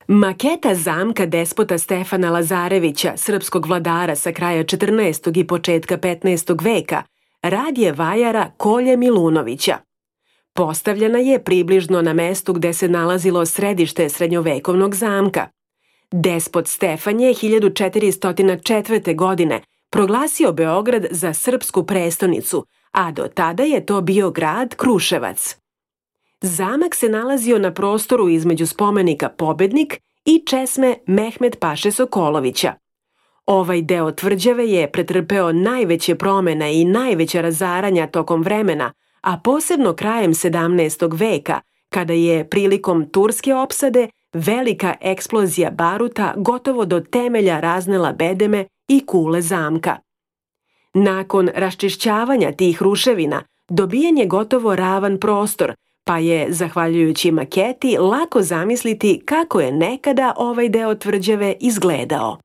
Maketa zamka despota Stefana Lazarevića, srpskog vladara sa kraja 14. i početka 15. veka, rad je vajara Kolje Milunovića. Postavljena je približno na mestu gde se nalazilo središte srednjovekovnog zamka. Despot Stefan je 1404. godine proglasio Beograd za srpsku prestonicu, a do tada je to bio grad Kruševac. Zamak se nalazio na prostoru između spomenika Pobednik i česme Mehmed Paše Sokolovića. Ovaj deo tvrđave je pretrpeo najveće promene i najveća razaranja tokom vremena, a posebno krajem 17. veka, kada je prilikom turske opsade velika eksplozija baruta gotovo do temelja raznela bedeme i kule zamka. Nakon raščišćavanja tih ruševina, dobijen je gotovo ravan prostor, pa je, zahvaljujući maketi, lako zamisliti kako je nekada ovaj deo tvrđave izgledao.